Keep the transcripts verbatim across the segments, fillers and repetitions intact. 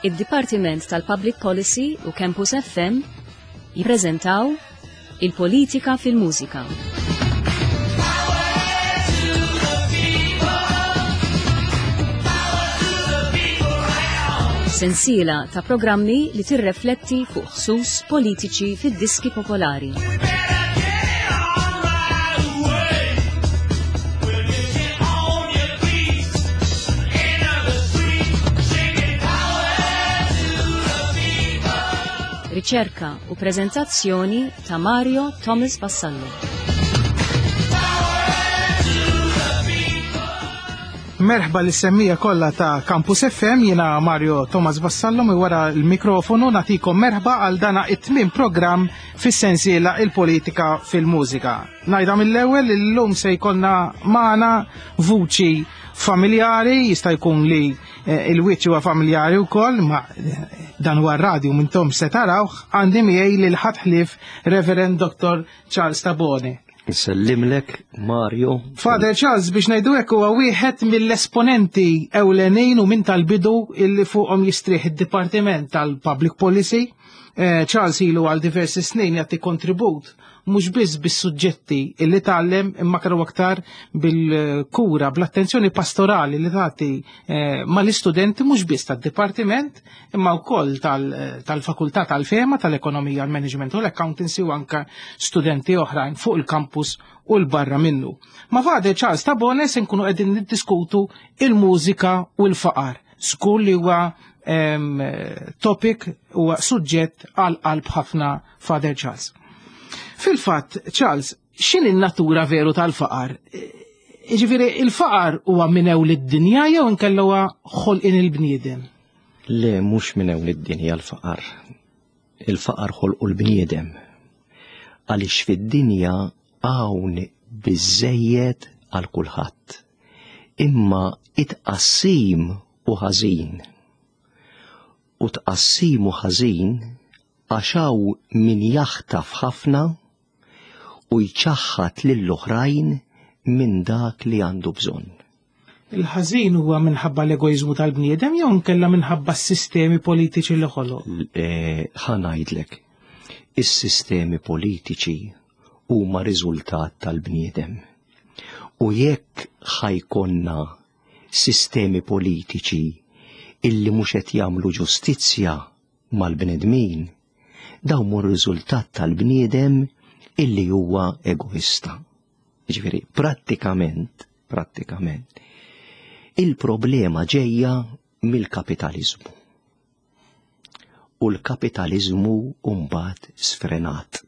Id-Dipartiment tal-Public Policy u Campus F M jippreżentaw Il-Politika fil-Mużika. Sensiela ta' programmi li tirrefletti fuq ħsus politiċi fid-diski popolari. Riċerka u prezentazzjoni ta' Mario Thomas Vassallo. Merħba lis-semmiegħa kollha ta' Campus F M, jiena Mario Thomas Vassallo mi wara l-mikrofonu nagħtikom merħba għal dana it-tmien programm fis-sensiela Il-Politika fil-Mużika. Ngħidha mill-ewwel, illum se jkollna magħna vuċi familjari, jista' jkun li eh, il-wiċċ huwa familjari wkoll, ma eh, dan huwa radio mintom se tarawh, għandi miegħi lil ħadd ħlief Reverend Doctor Charles Tabone. Nsellimlek, Mario. Father Charles, biex ngħidu hekk, huwa wieħed mill-esponenti ewlenin u minn tal-bidu illi fuqhom jistrieħ id-Dipartiment tal-Public Policy. Eh, Charles ilu għal diversi snin jagħti kontribut mhux biss bis-suġġetti illi tgħallem imma kienu aktar bil-kura, bl-attenzjoni pastorali li tagħti eh, mal-istudenti mhux biss tad-dipartiment imma wkoll tal-fakultà tal-fema, tal-ekonomija, l-management u l-accountancy u anka studenti oħrajn fuq il-campus u l-barra minnu. Ma' Father Charles Tabone se nkunu qegħdin niddiskutu il-mużika u l-faqar. Żgur li huwa topic, huwa suġġett għal qalb ħafna Father Charles. Fil-fatt, Charles, x'inhi n-natura veru tal-faqar? Ġifieri, il-faqar huwa minn ewl id-dinja jew inkella huwa ħolqien il-bniedem? Le, mhux minn ewl id-dinja l-faqar. Il-faqar ħolqu l-bniedem. Għaliex fid-dinja hawn biżejjed għal kulħadd. Imma it-tqassim hu ħażin. U tqassim hu ħażin għax hawn min jaħtaf ħafna u jċaħħad lill-oħrajn minn dak li għandu bżonn. Il-ħażin huwa minħabba l-egoizmu tal-bniedem jew nkella minħabba s-sistemi politiċi li ħoloq? Ħa ngħidlek, is-sistemi politiċi huma riżultat tal-bniedem. U jekk ħa jkollna sistemi politiċi illi mhux qed jagħmlu ġustizzja mal-bnedmin, dawn hu riżultat tal-bniedem illi huwa egoista. Ġifieri, prattikament, prattikament, il-problema ġejja mill-kapitalizmu. U l-kapitalizmu mbagħad sfrenat.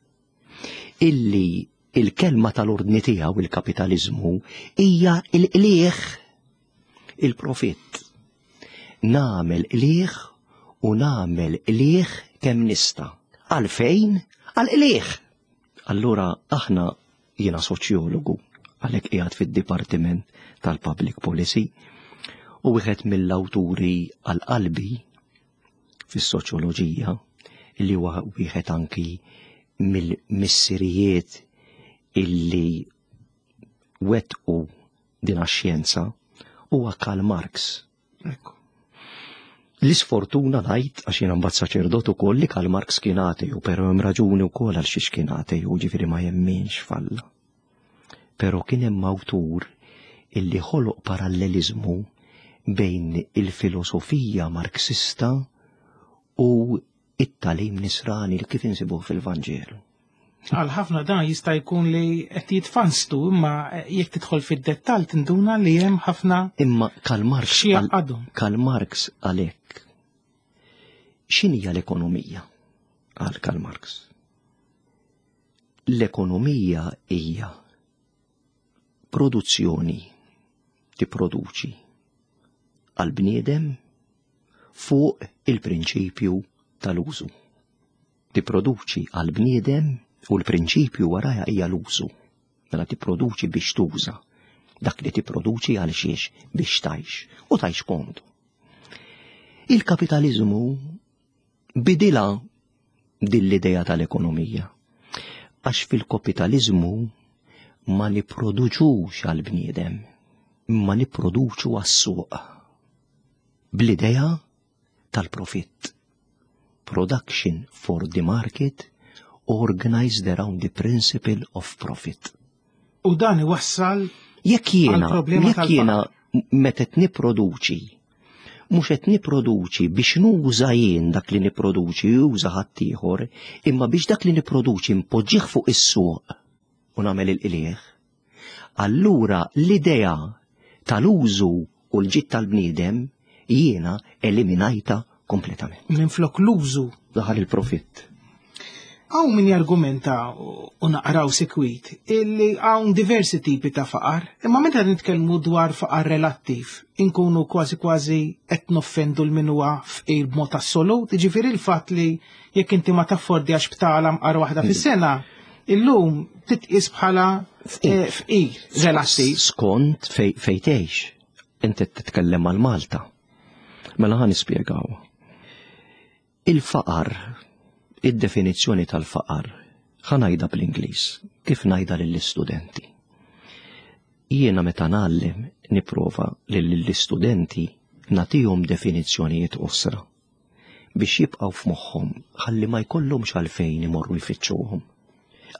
Illi il-kelma tal-ordni tiegħu il-kapitalizmu hija il-qliħ, il-profitt. Nagħmel qliħ u nagħmel qliħ kemm nista'. Għalfejn? Għal-qliħ. Allura aħna, jiena soċjologu, għalhekk qiegħed fid-Dipartiment tal-Public Policy, u wieħed mill-awturi għal qalbi fis-soċjoloġija li huwa wieħed anki mill-missirijiet illi wettqu din x-xjenza huwa Karl Marx. Ekku. L-isfortuna ngħid, għax jiena mbagħad saċerdot ukoll, li Karl Marx kien ateju, però hemm raġuni wkoll għal xiex kien ateju, ġifieri ma jemminx f'Alla. Però kien hemm awtur illi ħoloq parallelizmu bejn il-filosofija marxista u it-tagħlim nisrani li kif insibuh fil-Vanġelu. Għal ħafna dan jista' jkun li qed jitfanstu, imma jekk tidħol fid-dettall tinduna li hemm ħafna Imma Karl Marx xi jaqadhom. Karl Marx għalhekk, x'inhija l-ekonomija? Għal Karl Marx. L-ekonomija hija produzzjoni, tipproduċi għal bniedem fuq il-prinċipju tal-użu. Tipproduċi għal bniedem u l-prinċipju waraja hija l-użu. Mela tipproduċi biex tuża. Dak li tipproduċi għal xiex? Biex tgħix u tgħix komdu. Il-kapitalizmu bidilha din l-idea tal-ekonomija. Għax fil-kapitalizmu ma niproduċux għal-bniedem, ma niproduċu għas-suq. Bl-idea tal-profitt. Production for the market organized around the principle of profit. U dan iwassal Jekk jiena, jekk jiena meta qed nipproduċi, mhux qed nipproduċi biex nuża jien dak li nipproduċi juża ħaddieħor, imma biex dak li nipproduċi npoġġih fuq is-suq u nagħmel il-qligħ. Allura l-idea tal-użu u l-ġid tal-bniedem jiena eliminajta kompletament. Minflok l-użu. Daħal il-profitt. Hawn min jargumenta u naqraw sikwit illi hawn diversi tipi ta' faqar, imma meta nitkellmu dwar faqar relattiv, inkunu kważi kważi qed noffendu l min huwa fqir b'mod assolut, jiġifieri l-fatt li jekk inti ma taffordjax btala mqar waħda fis-sena, illum titqis bħala fqir relattiv. Skont fejn tgħix, inti titkellem għal Malta. Mela ħa nispjegaw. Il-faqar, id-definizzjoni tal-faqar, ħa ngħidha bl-Ingliż, kif ngħidha lill-istudenti. Jiena meta ngħallem nipprova lill-istudenti nagħtihom definizzjonijiet qosra biex jibqgħu f'moħħhom ħalli ma jkollhomx għalfejn imorru jfittxuhom.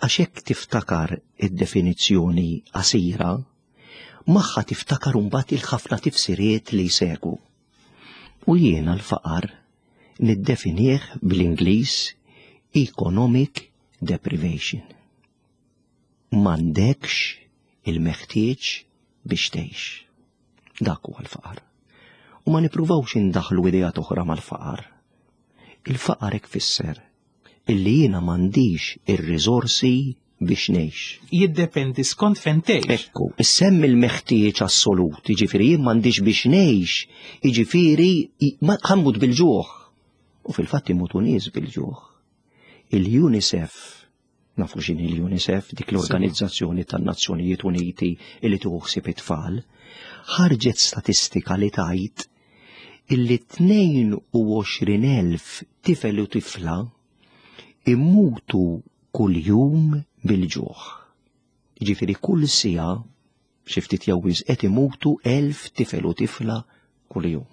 Għax hekk tiftakar id-definizzjoni qasira, magħha tiftakar imbagħad il-ħafna tifsiriet li jsegwu. U jiena l-faqar niddefinih bl-Ingliż economic deprivation. M'għandekx il-meħtieġ biex tgħix. Dak huwa l-faqar. U ma nippruvawx indaħlu ideat oħra mal-faqar. Il-faqar hekk fisser illi jiena m'għandix ir-riżorsi biex ngħix. Jiddependi skont fejn tgħix. Ekku, issemmi l-meħtieġ assolut, jiġifieri jien m'għandix biex ngħix, jiġifieri ħa mmut bil-ġuħ. U fil-fatt imutu nies bil-ġuħ. Il-UNICEF, nafu x'inhi l-UNICEF, dik l-Organizzazzjoni tan-Nazzjonijiet Uniti illi tieħu ħsieb it-tfal, ħarġet statistika li tgħid illi tnejn u għoxrin elf tifel u tifla immutu kuljum bil-ġuħ. Jiġifieri kull siegħa xi ftit jew wisq qed imutu elf tifel u tifla kuljum.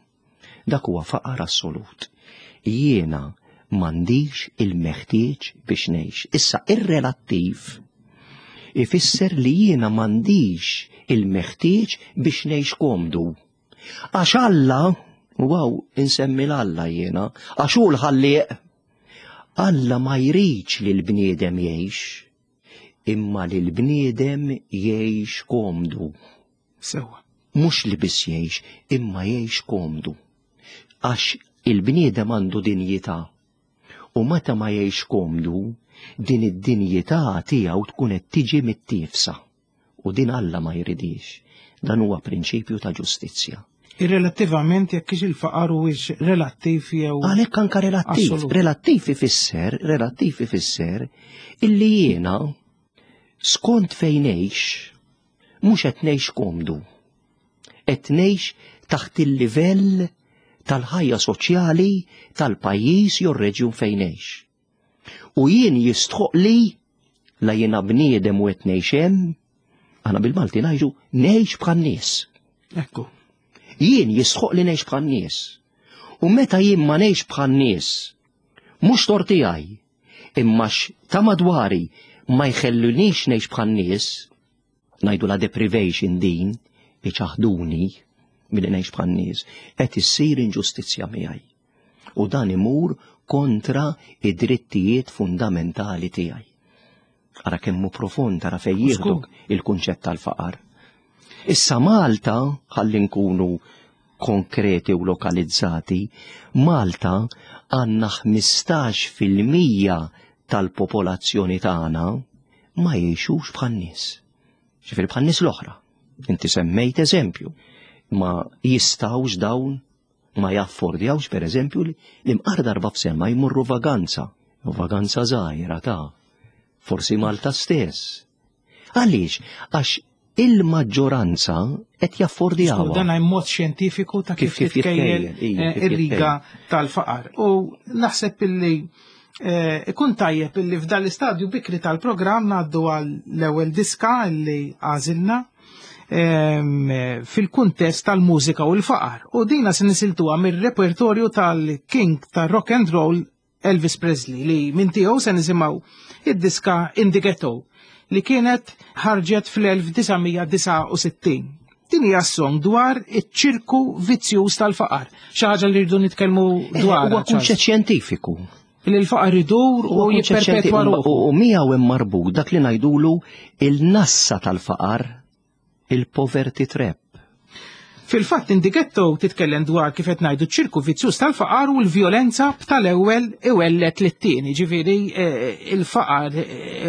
Dak huwa faqar assolut. Jiena m'għandix il-meħtieġ biex ngħix. Issa ir-relattiv ifisser li jiena m'għandix il-meħtieġ biex ngħix komdu. Għax Alla, wow, insemmi l-Alla jiena, għax hu l-ħallieq. Alla ma jridx li l-bniedem jgħix, imma li l-bniedem jgħix komdu. Sewwa. Mhux li biss jgħix, imma jgħix komdu. Għax il-bniedem għandu dinjità. U meta ma jgħix komdu, din id-dinjità tiegħu tkun qed tiġi mittiefsa. U din Alla ma jridix. Dan huwa prinċipju ta' ġustizzja. Irrelattivament jekk ix il-faqar huwiex relattiv jew Għalhekk anka relattiv. Assolut. Relattiv ifisser, relattiv ifisser illi jiena skont fejn ngħix mhux qed ngħix komdu. Qed ngħix taħt il-livell tal-ħajja soċjali tal-pajjiż jew reġjun fejn ngħix. U jien jistħoq li la jiena bniedem u qed ngħix hemm, aħna bil-Malti ngħidu ngħix bħan-nies. Ekku. Jien jistħoq li ngħix bħan-nies. U meta jien ma ngħix bħan-nies, mhux tort tiegħi, imma ta' madwari ma jħellunix ngħix bħan-nies, ngħidu la deprivation din, iċaħduni milli ngħix bħan-nies, qed issir inġustizzja miegħi. U dan imur kontra id-drittijiet fundamentali tiegħi. Ara kemm hu profond, ara fejn jieħdok il-kunċett tal-faqar. Issa Malta, ħalli nkunu konkreti u lokalizzati, Malta għandna ħmistax fil-mija tal-popolazzjoni tagħna ma jgħixux bħan-nies. Ġifieri bħan-nies l-oħra. Inti semmejt eżempju. Ma jistawx dawn, ma jaffordjawx per eżempju li mqar darba f'sena jmorru vaganza. Vaganza żgħira ta' forsi Malta stess. Għaliex? Għax il-maġġoranza qed jaffordjawha. Dan hemm mod xjentifiku ta' kif Kif titkejjel jitkejjel, ija, eh, kif ir-riga jitkejjel. tal-faqar. U naħseb illi eh, ikun tajjeb illi f'dan l-istadju bikri tal-programm ngħaddu għal l-ewwel diska illi għażilna. ehm, fil-kuntest tal-mużika u l-faqar. U dina se nisiltuha mir-repertorju tal-King tar-rock and roll Elvis Presley li minn tiegħu se nisimgħu id-diska In the Ghetto li kienet ħarġet fl-elf disa' mija disgħa u sittin. Din hija song dwar iċ-ċirku vizzjuż tal-faqar. Xi ħaġa li rridu nitkellmu Eh, dwar. Huwa kunċett xjentifiku. Li l-faqar idur u Huwa kunċett jipperpetwa xjentifiku. ruħu. U miegħu hemm marbut dak li ngħidulu il-nassa tal-faqar, il-poverty trap. Fil-fatt In the Ghetto titkellem dwar kif qed ngħidu ċ-ċirku vizzjuż tal-faqar u l-vjolenza b'tal-ewwel iwellet lit-tieni, ġifieri, eh, il-faqar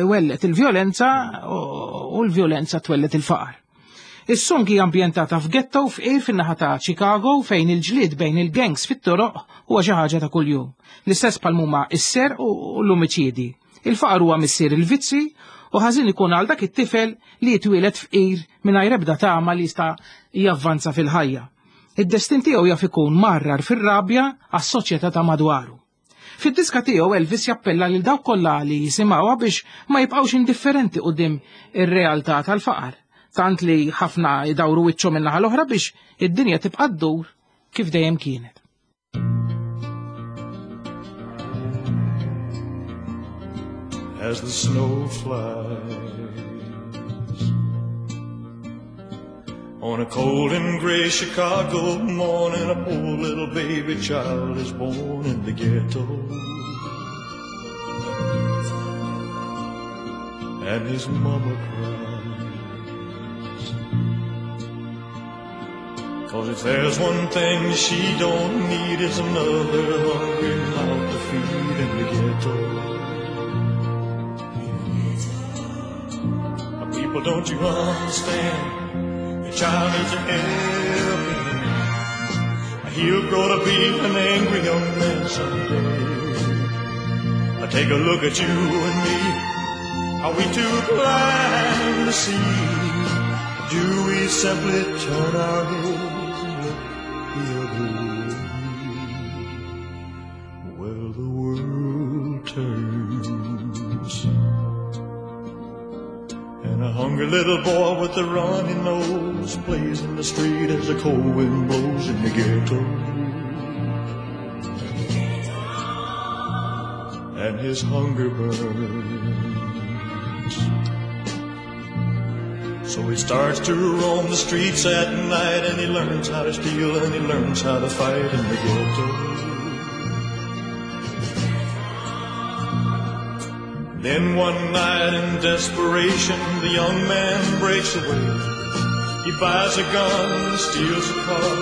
iwellet il-vjolenza u l-vjolenza twellet il-faqar. Is-song hija ambjentata f'ghetto f'qir fin-naħa ta' Chicago fejn il-ġlied bejn il-gangs fit-toroq huwa xi ħaġa ta' kuljum. L-istess bħal huma s-serq u l-omiċidi. Il-faqar huwa missier il-vizzi u ħażin ikun għal dak it-tifel li jitwieled fqir mingħajr ebda tama li jista' javvanza fil-ħajja. Id-destin tiegħu jaf ikun marrar fir-rabja għas-soċjetà ta' madwaru. Fid-diska tiegħu Elvis jappella lil dawk kollha li jisimgħuha biex ma jibqgħux indifferenti quddiem ir-realtà tal-faqar, tant li ħafna jdawru wiċċhom min-naħa l-oħra biex id-dinja tibqa' ddur kif dejjem kienet. As the snow flies on a cold and gray Chicago morning, a poor little baby child is born in the ghetto, and his mama cries, 'cause if there's one thing she don't need, it's another hungry mouth to feed in the ghetto. People, don't you understand? Your child needs a helping hand. He'll grow to be an angry young man someday. I take a look at you and me. Are we too blind to see? Do we simply turn our heads and look the other way? Well, the world turns, and a hungry little boy with a runny nose plays in the street as the cold wind blows in the ghetto. And his hunger burns. So he starts to roam the streets at night, and he learns how to steal and he learns how to fight in the ghetto. Then one night in desperation, the young man breaks away. He buys a gun, steals a car,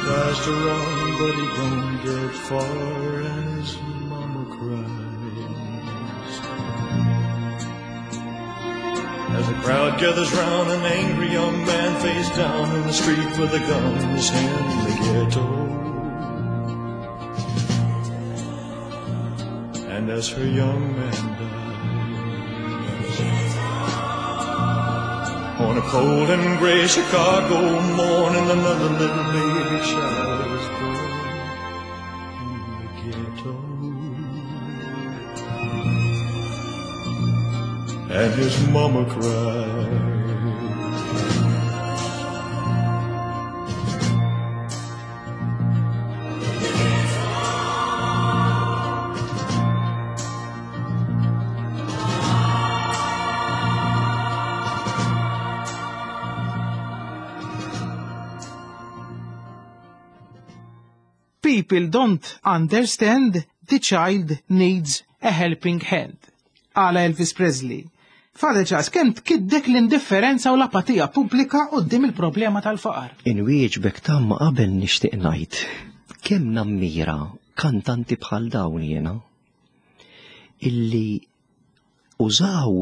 tries to run, but he won't get far, and his mama cries. As the crowd gathers round, an angry young man face down in the street with a gun in his hand in the ghetto. And as her young man dies, on a cold and gray Chicago morning, another little baby child is born in the ghetto. And his mama cried. People don't understand the child needs a helping hand. Għala Elvis Presley. Father Charles, kemm tkiddek l-indifferenza u l-apatija pubblika quddiem il-problema tal-faqar? Inwieġbek tamma qabel nixtieq ngħid. Kemm nammira kantanti bħal dawn jiena illi użaw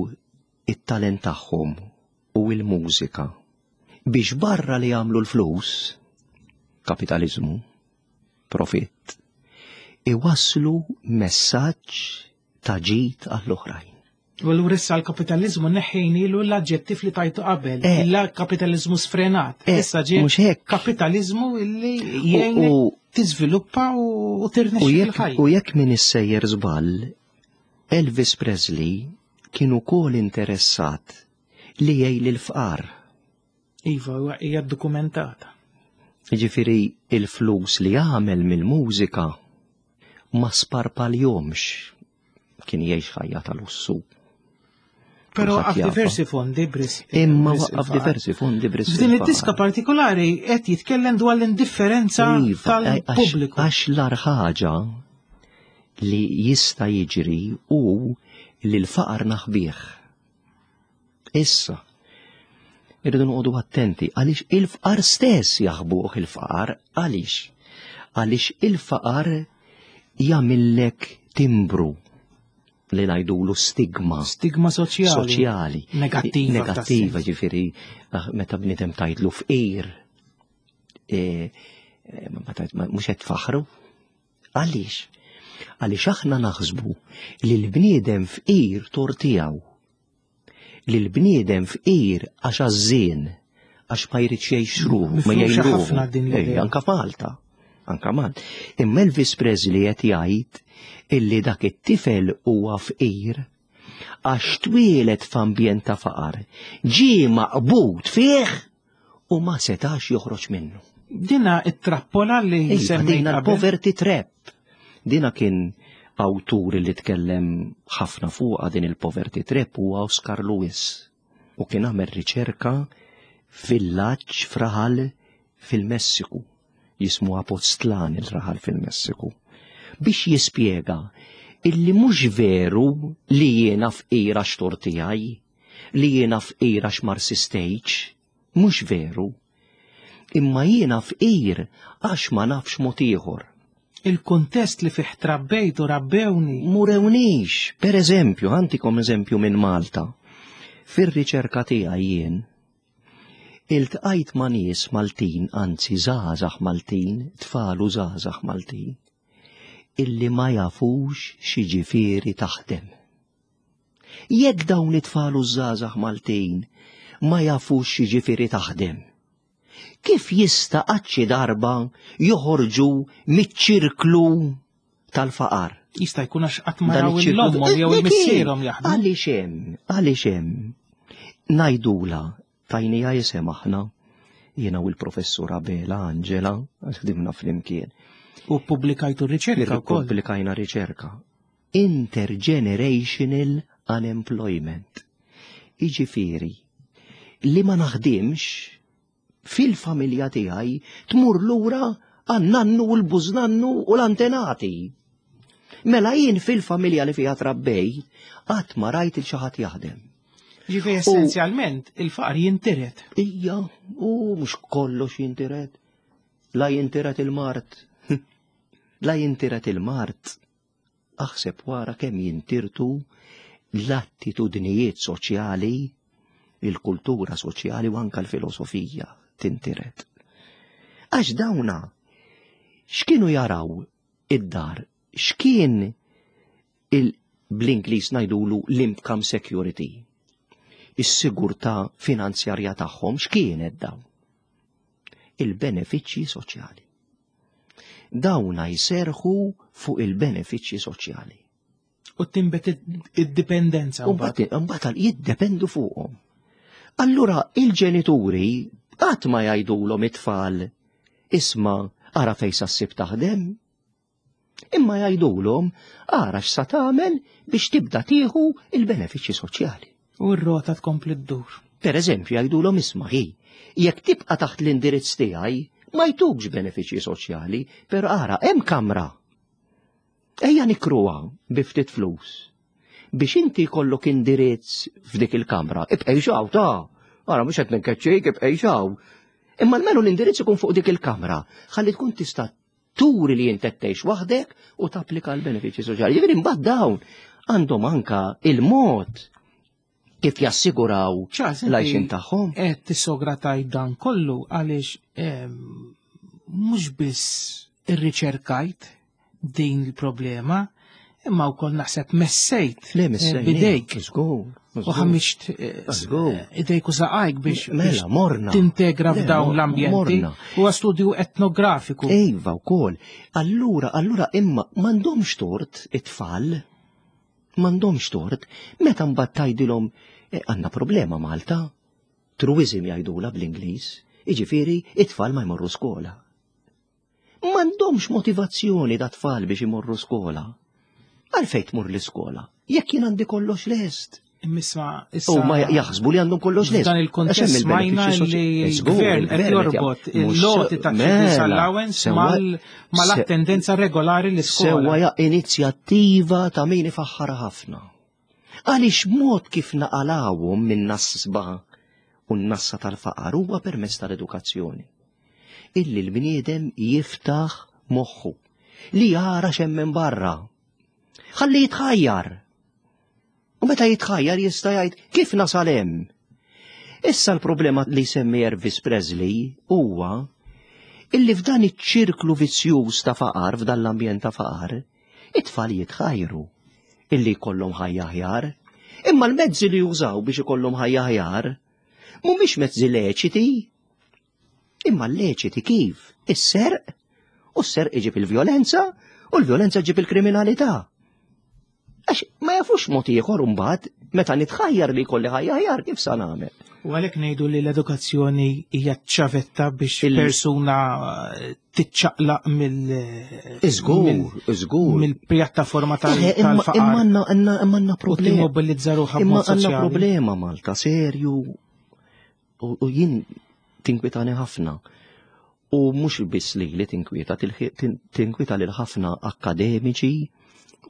it-talent tagħhom u l-mużika biex barra li jagħmlu l-flus, kapitaliżmu, profitt, iwasslu messaġġ ta' ġid għall-oħrajn. U allura issa l-kapitalizmu neħħejnilu l-aġġettiv li tajtu qabel, Eh. il-kapitalizmu sfrenat. Eh, Issa ġie mhux hekk. kapitalizmu illi jgħinek U- tiżviluppa u, u tirnexxi U jekk fil-ħajja. u jekk min issejjer żball, Elvis Presley kien ukoll interessat li jgħin lill-fqar. Iva, hija dokumentata. Jiġifieri il-flus li għamel mill-mużika ma sparpaljomx, kien jgħix ħajja tal-lussu. Pero għaf diversi fondi bris. Imma waqqaf diversi fondi bris. F'din id-diska partikolari qed jitkellem dwar l-indifferenza Iva, tal-pubbliku. Għax l-agħar ħaġa li jista' jiġri hu li l-faqar naħbih. Issa, irridu noqogħdu attenti għaliex il-faqar stess jaħbuh il-faqar, għaliex? Għaliex il-faqar jagħmillek timbru li ngħidulu stigma. Stigma soċjali. Soċjali. Negattiva. Negattiva, ġifieri, ah, meta bniedem tgħidlu fqir, e, e, mhux qed tfaħru. Għaliex? Għaliex aħna naħsbu li l-bniedem fqir tort tiegħu. Li l-bniedem fqir għax għażżien, għax ma jridx jgħix ruħu, ma Mifruxa jgħin ruħu. ħafna din l-idea. Ej, anka Malta. Anka Malta. Imma Elvis Presley qed jgħid illi dak it-tifel huwa fqir għax twieled f'ambjent ta' faqar, ġie maqbud fih u ma setax joħroġ minnu. Dina it-trappola li Iva, semmejt dina qabel. l-poverty trap. Dina kien awtur li tkellem ħafna fuqha din il-poverty trap huwa Oscar Lewis. U kien għamel riċerka f'villaġġ f'raħal fil-Messiku, jismu Apostlan il-raħal fil-Messiku, biex jispjega illi mhux veru li jiena fqira x'tort tiegħi, li jiena fqira x'marsistejċ, mhux veru. Imma jiena fqir għax ma nafx mod ieħor. Il-kuntest li fih trabbejt u rabbewni. Murewnix, per eżempju, għantikom eżempju minn Malta. Fir-riċerka tiegħi jien, iltqajt ma' nies Maltin, anzi żgħażagħ Maltin, tfal u żgħażagħ Maltin, illi ma jafux x'jiġifieri taħdem. Jekk dawn it-tfal u żgħażagħ Maltin ma jafux x'jiġifieri taħdem, kif jista' qatt xi darba joħorġu miċ-ċirklu tal-faqar? Jista' jkun għax qatt ma Dan raw iċ-ċirklu- l-ommhom jew Dik il-missierhom jaħdmu. Għaliex hemm, għaliex hemm. Ngħidula, tajnija jisem aħna, jiena u l-professur Abela Angela, għax ħdimna flimkien. U ppubblikajtu riċerka wkoll. Pubblikajna riċerka. Intergenerational unemployment. Iġifieri, li ma naħdimx fil-familja tiegħi tmur lura għan-nannu u l-bużnannu u l-antenati. Mela jien fil-familja li fiha trabbej, qatt ma rajt il xi ħadd jaħdem. Ġifieri essenzjalment il-faqar jintiret. Ija, u mhux kollox jintiret. La jintiret il-mard. La jintiret il-mard. Aħseb wara kemm jintirtu l-attitudnijiet soċjali, il-kultura soċjali u anka l-filosofija tintiret. Għax dawna, x'kienu jaraw id-dar, x'kien il bl-Ingliż ngħidulu l-income security, is-sigurtà finanzjarja tagħhom x'kienet dawn? Il-benefiċċji soċjali. Dawna jserħu fuq il-benefiċċji soċjali. U tinbet id-dipendenza. U mbagħad mbagħad jiddependu fuqhom. Allura il-ġenituri qatt ma jgħidulhom it-tfal isma' ara fejn sa ssib taħdem. Imma jgħidulhom ara x'sa tagħmel biex tibda tieħu il-benefiċċji soċjali. U r-rota tkompli ddur. Per eżempju, jgħidulhom isma' hi, jekk tibqa' taħt l-indirizz tiegħi ma jtukx benefiċċji soċjali, però ara hemm kamra. Ejja nikruha bi ftit flus. Biex inti jkollok indirizz f'dik il-kamra, ibqej xaw ta' ara mhux qed ninkeċċik, ibqej xaw. Imma almenu l-indirizz ikun fuq dik il-kamra, ħalli tkun tista' turi li inti tgħix waħdek u tapplika l-benefiċċji soċjali. Jiġifieri mbagħad dawn għandhom anka il-mod kif jassiguraw Charles, l-għajxin tagħhom. Qed tissogra tajt dan kollu għaliex ehm, mhux biss irriċerkajt din il-problema, imma wkoll naħseb messejt Le messejt eh, bidejk Żgur. u ħammiġt eh, Żgur. idejk u saqajk biex Mela, biex morna. tintegra Le, f'dawn mor- l-ambjenti. morna. Huwa studju etnografiku. Iva wkoll. Allura, allura imma m'għandhomx tort it-tfal. M'għandhomx tort. Meta mbagħad tgħidilhom eh, għandna problema Malta. Truism jgħidula bl-Ingliż, jiġifieri it-tfal ma jmorru skola. M'għandhomx motivazzjoni da tfal biex imorru skola. Għalfejn tmur l-iskola? Jekk jien għandi kollox lest. Imma issa. U ma jaħsbu li għandhom kollox lest. Dan il-kontest smajna li l-gvern qed jorbot il-loti ta' children's allowance mal-attendenza regolari l-iskola. Sewwa ja inizjattiva ta' min ifaħħara ħafna. Għaliex mod kif naqalawhom minn nasba u n-nassa tal-faqar huwa permezz tal-edukazzjoni. Illi l-bniedem jiftaħ moħħu li jara x'hemm minn barra. Ħalli jitħajjar. U meta jitħajjar jista' jgħid kif nasal hemm. Issa l-problema li semmi Elvis Presley huwa illi f'dan iċ-ċirklu vizzjuż ta' faqar, f'dan l-ambjent ta' faqar, it-tfal jitħajru illi jkollhom ħajja aħjar, imma l-mezzi li jużaw biex ikollhom ħajja aħjar mhumiex mezzi leċiti. Imma leċiti kif? Is-serq, u s-serq iġib il-vjolenza, u l-vjolenza ġib il-kriminalità. Għax ma jafux mod ieħor imbagħad meta nitħajjar li jkolli ħajja aħjar kif sa nagħmel. U għalhekk ngħidu li l-edukazzjoni hija ċavetta biex persuna tiċċaqlaq mill Iżgur, iżgur. mill-pjattaforma tal-faqar. Imma għandna problema. U timmobilizza ruħha Imma għandna problema Malta serju u jien tinkwitani ħafna. U mhux biss li li tinkwieta, tinkwieta lil ħafna akademiċi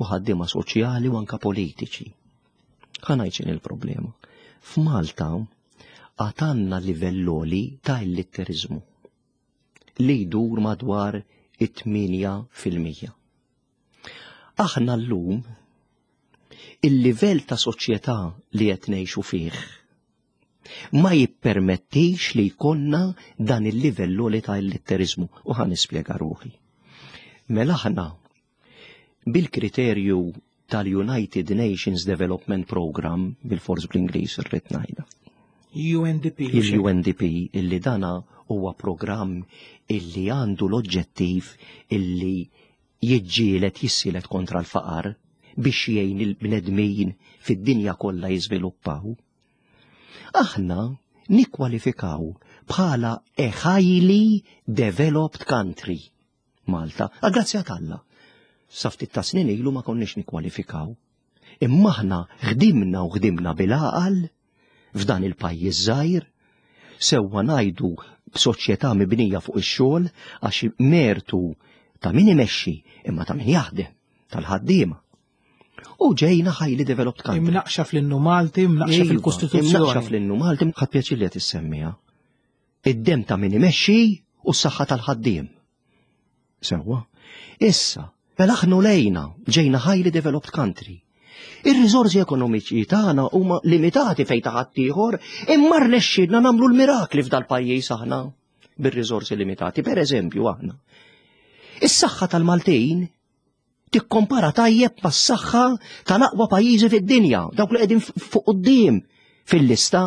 u ħaddiema soċjali u anka politiċi. Ħa ngħid x'inhi il-problema. F'Malta għatanna livell ta' illitterizmu li jdur madwar it-tmienja fil-mija. Aħna llum il-livell ta' soċjetà li qed ngħixu fih ma jippermettix li jkollna dan il-livell li ta' illitterizmu u ħa nispjega ruħi. Mela aħna bil-kriterju tal-United Nations Development Program, bil-fors bl-Ingliż irrid ngħidha. U N D P. Il-U N D P illi dana huwa programm illi għandu l-oġġettiv illi jiġġieled jissielet kontra l-faqar biex jgħin il-bnedmin fid-dinja kollha jiżviluppaw. Aħna nikkwalifikaw bħala a highly developed country Malta, grazzi għal Alla. Sa ftit ta' snin ilu ma konniex nikkwalifikaw. Imma aħna ħdimna u ħdimna bil-għaqal f'dan il-pajjiż żgħir, sewwa ngħidu b'soċjetà mibnija fuq ix-xogħol għax mertu ta' min imexxi imma ta' min jaħdem, tal-ħaddiema. U ġejna highly developed country. Imnaqxa fl-innu Malti, imnaqxa Iva, fil-Kostituzzjoni. Imnaqxa fl-innu Malti, ħadd pjaċir li qed issemmiha. Id-dem ta' min imexxi u s-saħħa tal-ħaddiem. Sewwa. Issa, mela aħna lejna ġejna highly developed country. Ir-riżorsi ekonomiċi tagħna huma limitati fejn ta' ħaddieħor, imma rnexxielna nagħmlu l-mirakli f'dal-pajjiż aħna bir-riżorsi limitati. Per eżempju aħna. Is-saħħa tal-Maltin tikkompara tajjeb mas-saħħa tal-aqwa pajjiżi fid-dinja, dawk li qegħdin fuq quddiem fil-lista.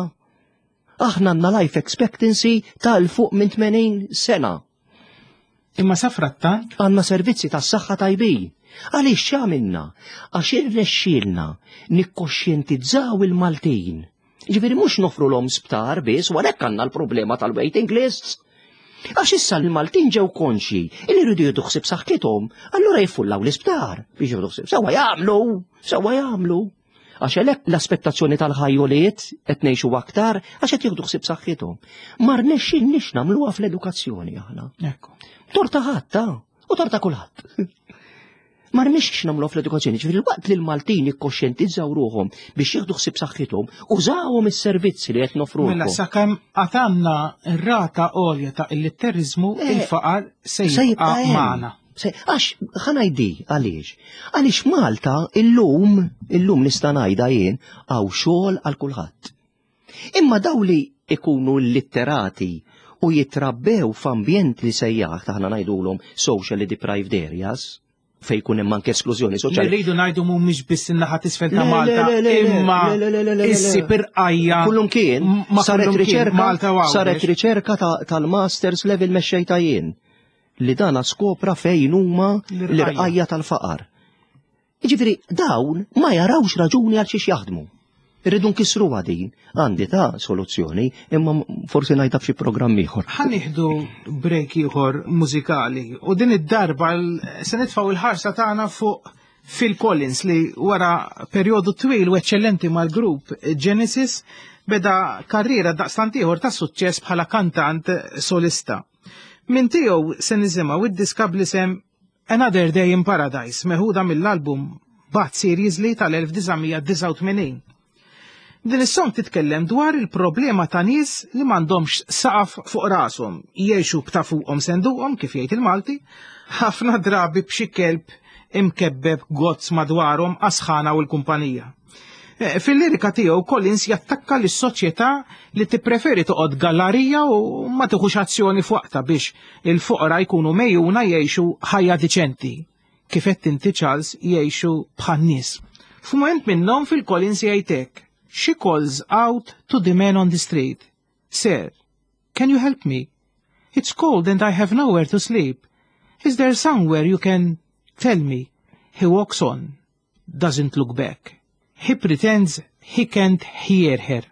Aħna għandna life expectancy tal fuq minn tmenin sena. Imma sa frattant għandna servizzi tas-saħħa tajbin. Għaliex x'għamilna? Għax irnexxielna nikkoxjentizzaw il-Maltin. Ġifieri mhux nofru l-om sptar biss, u għalhekk għandna l-problema tal-waiting lists. Għax issa l-Maltin ġew konxi li jridu jieħdu ħsieb saħħithom, allura jiffullaw l-isptar biex jieħdu ħsieb. Sewwa jagħmlu, sewwa jagħmlu. Għax għalhekk l-aspettazzjoni tal-ħajjoliet qed ngħixu aktar għax qed jieħdu ħsieb saħħithom. Ma rnexxilniex nagħmluha fl-edukazzjoni aħna. Ekku. Torta ħadd, u torta kulħadd. Ma rnexxix nagħmluha fl-edukazzjoni, ġifieri waqt li l-Maltin jikkoxjentizzaw ruħhom biex jieħdu ħsieb saħħithom, użawhom is-servizzi li qed nofrulhom. Mela sakemm għatanna r-rata għolja ta' illitterizmu, Eh, il-faqar se se jibqa' jibqa' hemm. magħna. Se, għax ħa ngħidi għaliex. Għaliex Malta illum, illum nista' ngħidha jien hawn xogħol għal kulħadd. Imma daw li ikunu litterati u jitrabbew f'ambjent li sejjaħ taħna ngħidulhom socially deprived areas, fejn jkun hemm anke esklużjoni soċjali. Li rridu ngħidu mhumiex biss in-naħa t'isfel ta' Le, le, Malta, le, le, le, imma le, le, le, le, le, le. issib irqajja Kullum kien, ma saret kullum kien, riċerka, Malta u Għawdex. saret riċerka ta-, tal-masters level mexxejta jien li dana skopra fejn huma L-irqajja. l-irqajja tal-faqar. Jiġifieri dawn ma jarawx raġuni għal xiex jaħdmu. Irridu nkissru din, għandi ta' soluzzjoni, imma forsi ngħidha f'xi programm ieħor. Ħa nieħdu break ieħor mużikali u din id-darba se nitfgħu il-ħarsa tagħna fuq Phil Collins li wara perjodu twil u eċċellenti mal-grupp Genesis beda karriera daqstant ieħor ta' suċċess bħala kantant solista. Min tiegħu se nisimgħu id-diska bl-isem Another Day in Paradise meħuda mill-album But Seriously tal-elf disa' mija disgħa u tmenin. Din is-song titkellem dwar il-problema ta' nies li m'għandhomx saqaf fuq rashom, jgħixu b'ta' fuqhom senduqhom kif jgħid il-Malti, ħafna drabi b'xi kelb imkebbeb gozz madwarhom għas-sħana u l-kumpanija. Eh, fil-lirika tiegħu Collins jattakka lis-soċjetà li tippreferi toqgħod gallarija u ma tieħux azzjoni f'waqtha biex il-foqra jkunu mejjuna jgħixu ħajja diċenti. Kif qed inti Charles jgħixu bħan-nies. F'mument minnhom fil-Collins jgħid hekk: She calls out to the man on the street. Sir, can you help me? It's cold and I have nowhere to sleep. Is there somewhere you can tell me? He walks on, doesn't look back. He pretends he can't hear her.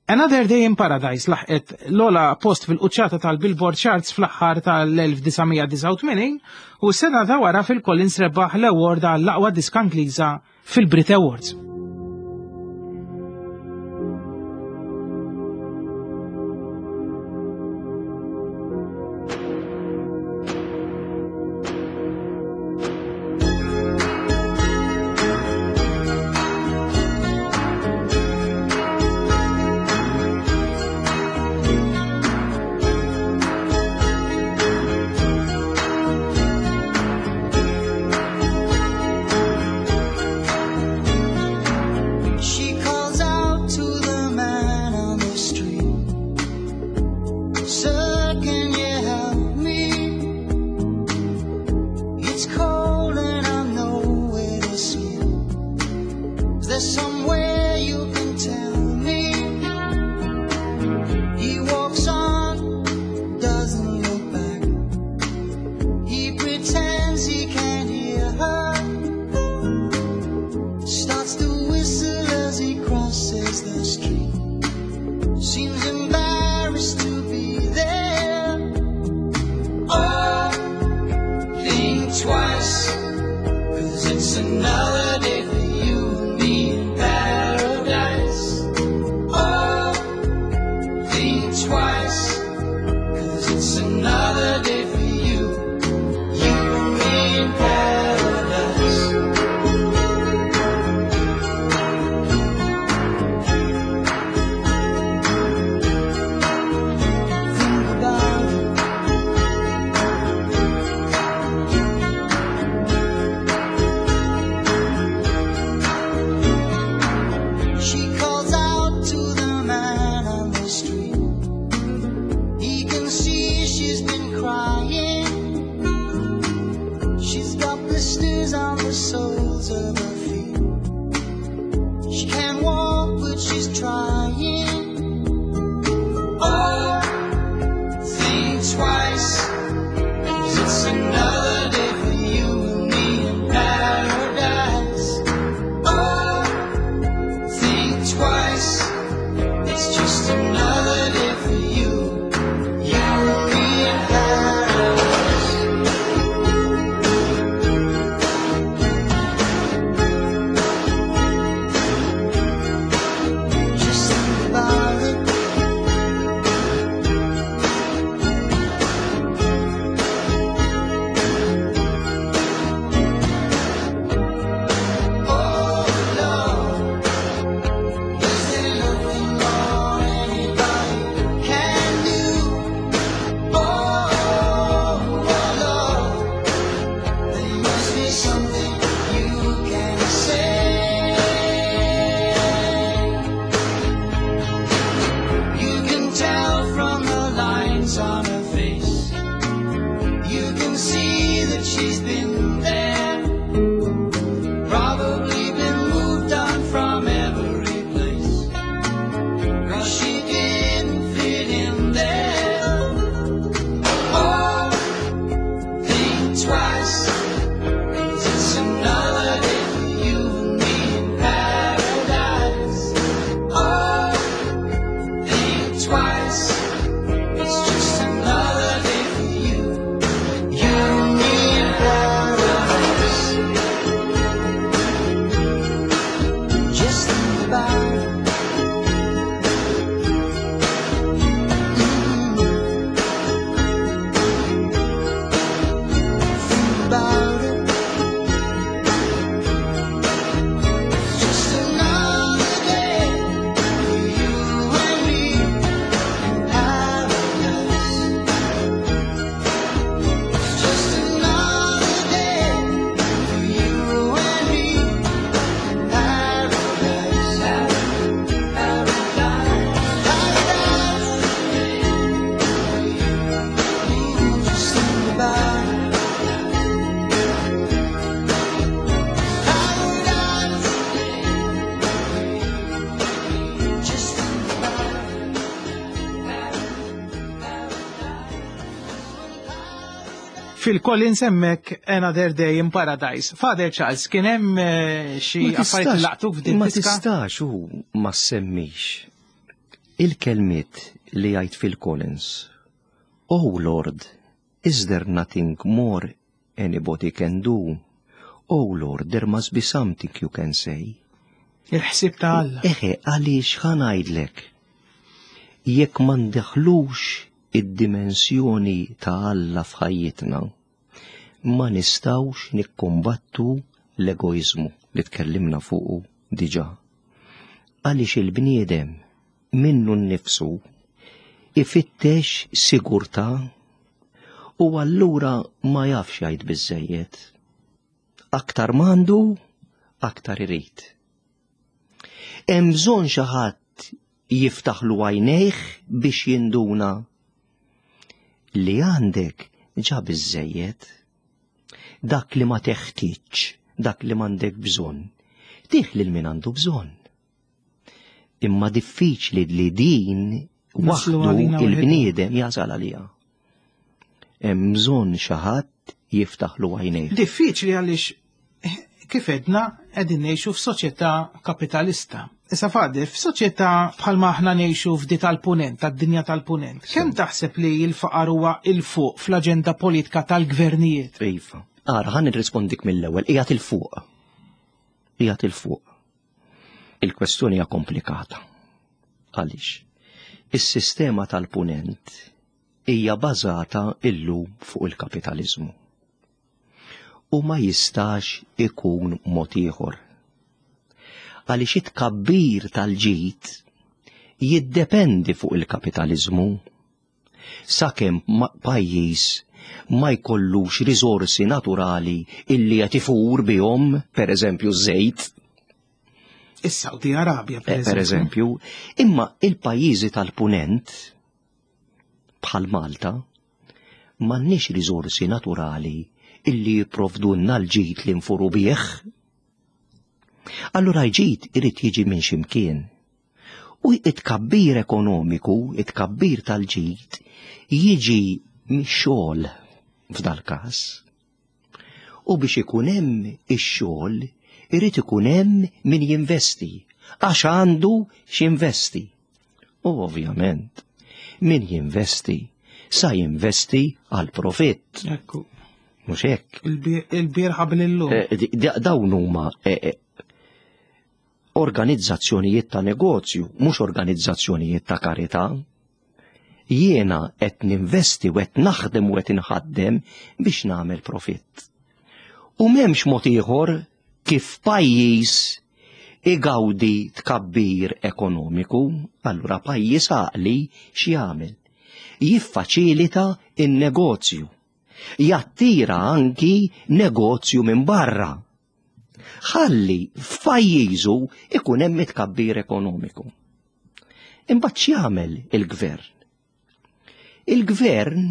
Another Day in Paradise laħqet l-ola post fil-quċċata tal-Billboard Charts fl-aħħar tal-elf disa' mija disgħa u tmenin u s-sena ta' wara fil-Collins rebaħ l-award għall-aqwa diska Ingliża fil-Brit Awards. Just Phil Collins hemmhekk Another Day in Paradise. Father Charles, kien hemm eh, xi Ma affarijiet li tistax- laqtuk f'din Ma diska? tistax u ma semmix il-kelmiet li jgħid Phil Collins. Oh Lord, is there nothing more anybody can do? Oh Lord, there must be something you can say. Il-ħsieb ta' Alla. Eħe, għaliex ħa ngħidlek, jekk ma ndaħħlux id-dimensjoni ta' Alla f'ħajjitna, ma nistgħux nikkombattu l-egoizmu li tkellimna fuqu diġà. Għaliex il-bniedem minnu nnifsu ifittex sigurtà u allura ma jafx jgħid biżejjed. Aktar m'għandu, aktar irid. Hemm bżonn xi ħadd jiftaħlu għajnejh biex jinduna li għandek ġa biżejjed. Dak li ma teħtieġ, dak li m'għandek bżonn, tih lil min għandu bżonn. Imma diffiċli li din Naslu waħdu għalina il-bniedem jasal għaliha. Hemm bżonn xi ħadd jiftaħlu għajnejh. Diffiċli għaliex eh, kif edna qegħdin ngħixu f'soċjetà kapitalista. Issa Father, f'soċjetà bħalma aħna ngħixu f'di tal-punent, tad-dinja tal-punent, kemm taħseb li l-faqar huwa 'il fuq fl-aġenda politika tal-gvernijiet? Iva. Ara, ħa nirrispondik mill-ewwel, qiegħed 'il fuq. Qiegħed 'il fuq. Il-kwestjoni hija komplikata. Għaliex? Is-sistema tal-punent hija bażata illum fuq il-kapitalizmu. U ma jistax ikun mod ieħor. Għaliex it-tkabbir tal-ġid jiddependi fuq il-kapitalizmu. Sakemm ma- pajjiż ma jkollux risorsi naturali illi qed ifur bihom, per eżempju żejt, Is-Saudi Arabja, per eh, per eżempju. eżempju, imma il-pajjiżi tal-punent bħal Malta m'għandniex risorsi naturali illi jipprovdunna l-ġid li nfuru bih. Allura l-ġid irid jiġi minn ximkien. U it-tkabbir ekonomiku, it-tkabbir tal-ġid, jiġi mix-xogħol f'dal-każ. U biex ikun hemm ix-xogħol, irid ikun hemm min jinvesti, għax għandu x'investi. U ovvjament, min jinvesti, sa jinvesti għal profitt, Ekku, mhux hekk. il-bieraħ qabel illum. Eh, di- di- Dawn huma eh, eh, organizzazzjonijiet ta' negozju, mhux organizzazzjonijiet ta' karità. Jiena qed ninvesti u qed naħdem u qed inħaddem biex nagħmel profitt. U m'hemmx mod ieħor kif pajjiż igawdi tkabbir ekonomiku, allura pajjiż għaqli x'jagħmel? Jiffaċilita in-negozju. Jattira anki negozju minn barra. Ħalli f'pajjiżu ikun hemm tkabbir ekonomiku. Imbagħad x'jagħmel il-gvern? Il-gvern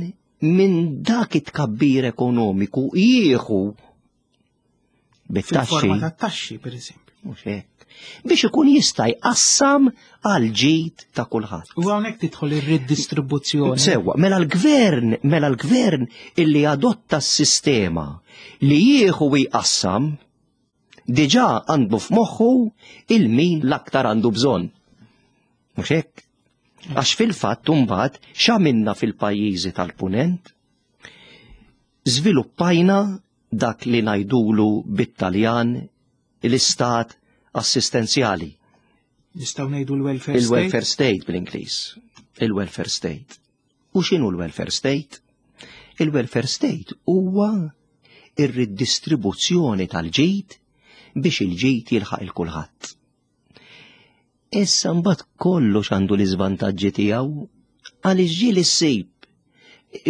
minn dak it-tkabbir ekonomiku jieħu bit-taxxi Fil-forma ta' taxxi, per eżempju. mhux hekk, biex ikun jista' jqassam għal ġid ta' kulħadd. U hawnhekk tidħol ir-redistribuzzjoni. Sewwa, mela l-gvern, mela l-gvern illi adotta s-sistema li jieħu u jqassam, diġà għandu f'moħħu il-min l-aktar għandu bżonn. Mhux hekk? Għax fil-fatt imbagħad x'għamilna fil-pajjiżi tal-punent? Żviluppajna dak li ngħidulu bit-Taljan l-istat assistenzjali. Nistgħu ngħidu l-welfare state. Il-welfare state bl-Ingliż. Il-welfare state. U x'inhu l-welfare state? Il-welfare state huwa ir-ridistribuzzjoni tal-ġid biex il-ġid jilħaq il kulħadd. Issa mbagħad kollox għandu l-iżvantaġġi tiegħu għaliex ġieli ssib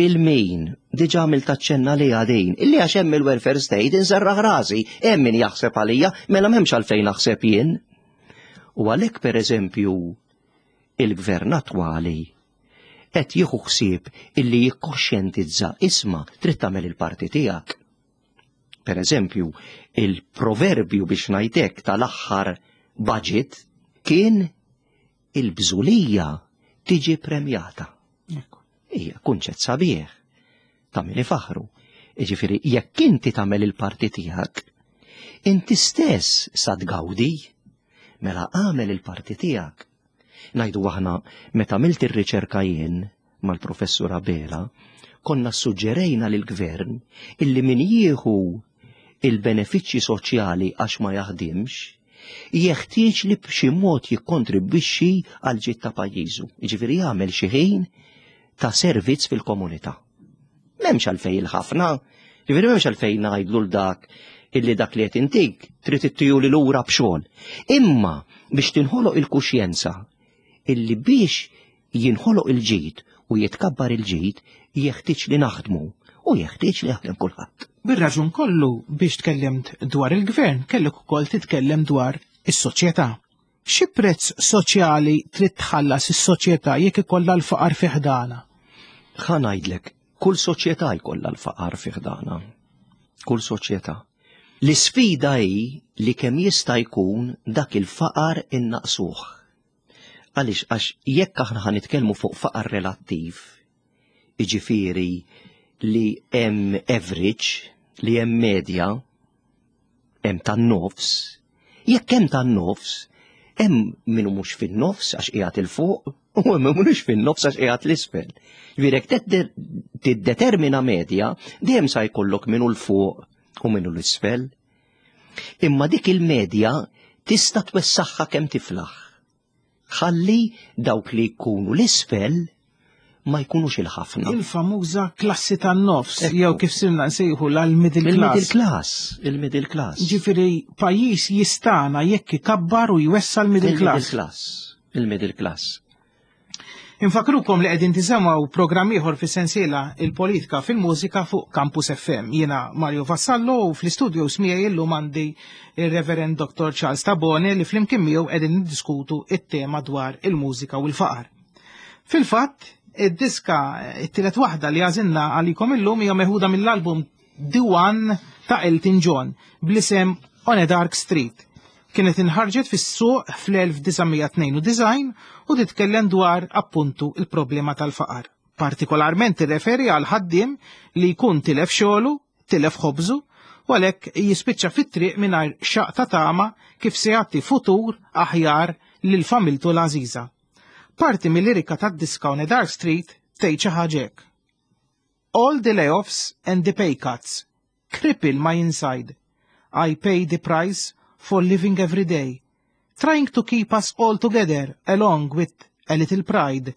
il-min diġà għamilt taċċenna li għadin, illi għax hemm il-welfare state inserraħ rasi, hemm min jaħseb għalija, mela m'hemmx għalfejn naħseb jien. U għalhekk pereżempju il-gvern attwali qed jieħu ħsieb illi jikkoxjentizza isma' trid tagħmel il-parti tiegħek. Per eżempju, il-proverbju biex ngħidlek tal-aħħar budget kien il-bżulija tiġi premjata. Ekku. Hija kunċett sabiħ ta' min ifaħru. Jiġifieri jekk inti tagħmel il-parti tiegħek, inti stess sa tgawdi, mela għamel il-parti tiegħek. Ngħidu aħna meta għamilt ir-riċerka jien mal-professur Abela, konna suġġerejna lill-gvern illi min jieħu il-benefiċċji soċjali għax ma jaħdimx, jeħtieġ li b'xi mod jikkontribwixxi għal ġid ta' pajjiżu. Jiġifieri jagħmel xi ħin ta' servizz fil-komunità. M'hemmx għalfejn il-ħafna, jiġifieri m'hemmx għalfejn ngħidlu l dak illi dak li qed intik trid ittijuli lura b'xogħol. Imma biex tinħoloq il-kuxjenza illi biex jinħoloq il-ġid u jitkabbar il-ġid jeħtieġ li naħdmu u jeħtieġ li jaħdem kulħadd. Bir-raġun kollu biex tkellimt dwar il-gvern, kellek ukoll titkellem dwar is-soċjetà. Xi prezz soċjali trid tħallas is-soċjetà jekk ikollha l-faqar fi ħdana? Ħa ngħidlek, kull soċjetà jkollha l-faqar fi ħdana. Kull soċjetà. L-isfida hi li kemm jista' jkun dak il-faqar innaqsuh. Għaliex għax jekk aħna ħa nitkellmu fuq faqar relattiv, jiġifieri li hemm average, li hemm medja, hemm tan-nofs, jekk hemm tan-nofs, hemm min mhux fin-nofs għax qiegħed 'il fuq u hemm min mhux fin-nofs għax qiegħed 'l isfel. Ġifieri jekk tiddetermina medja, dejjem sa jkollok min hu 'l fuq u min hu 'l isfel. Imma dik il-medja tista' twessaħħa kemm tiflaħ. Ħalli dawk li jkunu l-isfel ma jkunux il-ħafna. Il-famuża klassi tan-nofs, jew kif sirna nsejħu l-middle class. Il-middle class, il-middle class. Ġifieri pajjiż jistana jekk ikabbar u jwessa l-middle class. Il-middle class, il-middle class. Infakrukom li qegħdin tisimgħu programm ieħor fis-sensiela il-politika fil-mużika fuq Campus F M. Jiena Mario Vassallo u fl-istudio miegħi illum għandi ir-Reverend Doctor Charles Tabone li flimkien miegħu qegħdin niddiskutu it-tema dwar il-mużika u l-faqar. Fil-fatt, id-diska it-tielet waħda li għażilna għalikom illum hija meħuda mill-album The One ta' Elton John bl-isem On a Dark Street. Kienet inħarġet fis-suq fl-elf disa' mija tnejn u disgħin u titkellem dwar appuntu il-problema tal-faqar. Partikolarment tirreferi għal ħaddiem li jkun tilef xogħlu, tilef ħobżu, u għalhekk jispiċċa fit-triq mingħajr xaq ta' tama kif se jagħti futur aħjar lil familtu l-għażiża. Parti mill-lirika tad-diska On a Dark Street tgħid xi ħaġa hekk. All the layoffs and the pay cuts cripple my inside. I pay the price for living every day, trying to keep us all together along with a little pride.